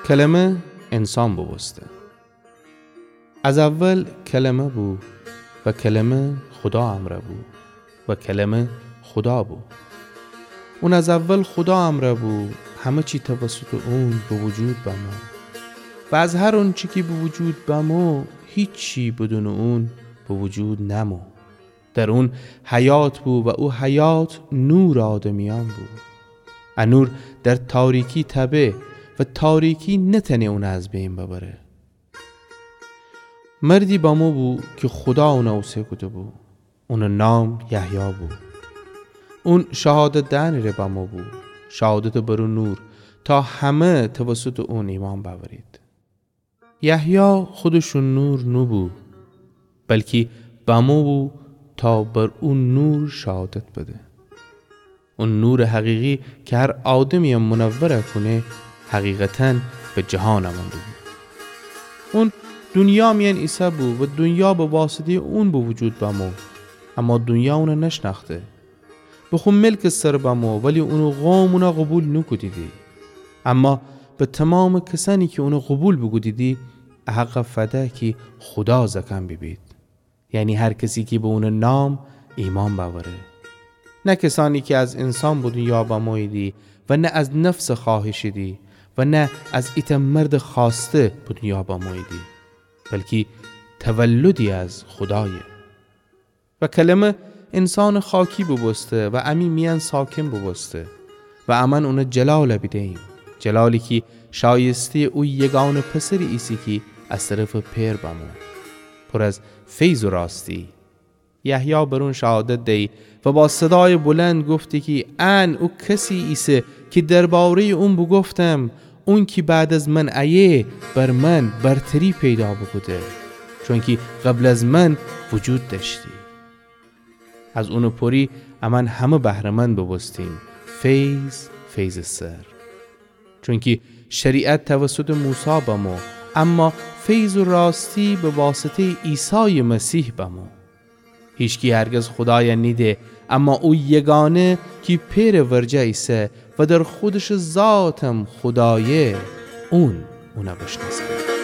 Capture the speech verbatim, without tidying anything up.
کلمه انسان بوبوسته. از اول کلمه بو و کلمه خودا امرأ بو و کلمه خودا بو. اون از اول خودا امرأ بو، همه چی توسطٚ اون به وجود بمو و از هر اونچی کی به وجود بمو، هیچی بدونٚ اون به وجود نمو. در اون حیات بو و او حیات نورٚ آدمیأن بو. ا نور در تاریکی تأبه و تاریکی نتأنه اون از بین ببره. مردی بمو بو کی خودا اون اوسه کوده بو. اونٚ نام یحیی بو. اون شهادت دئنٚ ره بمو بو، شهادت بر او نور، تا همه توسطٚ اون ایمأن بأورید. یحیی خودش او نور نوبو، بلکی بمو بو تا بر او نور شهادت بده. او نورٚ حقیقی کی هر آدمی‌یَ منور کونه، حقیقتاً به جهان آمون بو. اون دونیا میأن ایسه بو و دونیا به واسطه‌یٚ اون به وجود بمو، اما دونیا اونَ نشنأخته. به خو ملکٚ سر بمو، ولی اونٚ قوم اونَ قوبیل نوکودیدی. اما به تومامٚ کسأنی کی اونَ قوبیل بوکودیدی، ا حقَ فده کی خودا زأکأن بیبید. یعنی هر کسی کی به اونٚ نام ایمأن بأوره. نه کسأنی کی از انسان به دونیا بموییدی و نه از نفسٚ خوأهشیدی و نه از ایتأ مردٚ خوأسته به دونیا بموییدی، بلکی تولدی از خودایه. و کلمه انسانٚ خاکی بوبوسته و امی میأن ساکن بوبوسته و امأن اونٚ جلالَ بیده‌ییم، جلالی کی شایسته‌یٚ او یگانه پسری ایسه کی از طرفٚ پئر بمو، پور از فیض و راستی. یحیی بر اون شهادت دیی و با صدایٚ بلند گفتی کی ان او کسی ایسه کی درباره‌یٚ اون بوگفتم، اون کی بعد از من ایه، بر من برتری پیدا بوکوده، چونکی قبل از من وجود دأشتی. از اونٚ پوری امأن همه بهره‌مند بوبوستیم، فیض فیضٚ سر. چونکی شریعت توسطٚ موسی بمو، اما فیض و راستی به واسطه‌یٚ عیسایٚ مسیح بمو. هیچکی هرگز خودایَ نیده، اما او یگانه کی پئرٚ ورجه ایسه و در خودشٚ ذاتم خودایه، اون اونَ بشنأسه.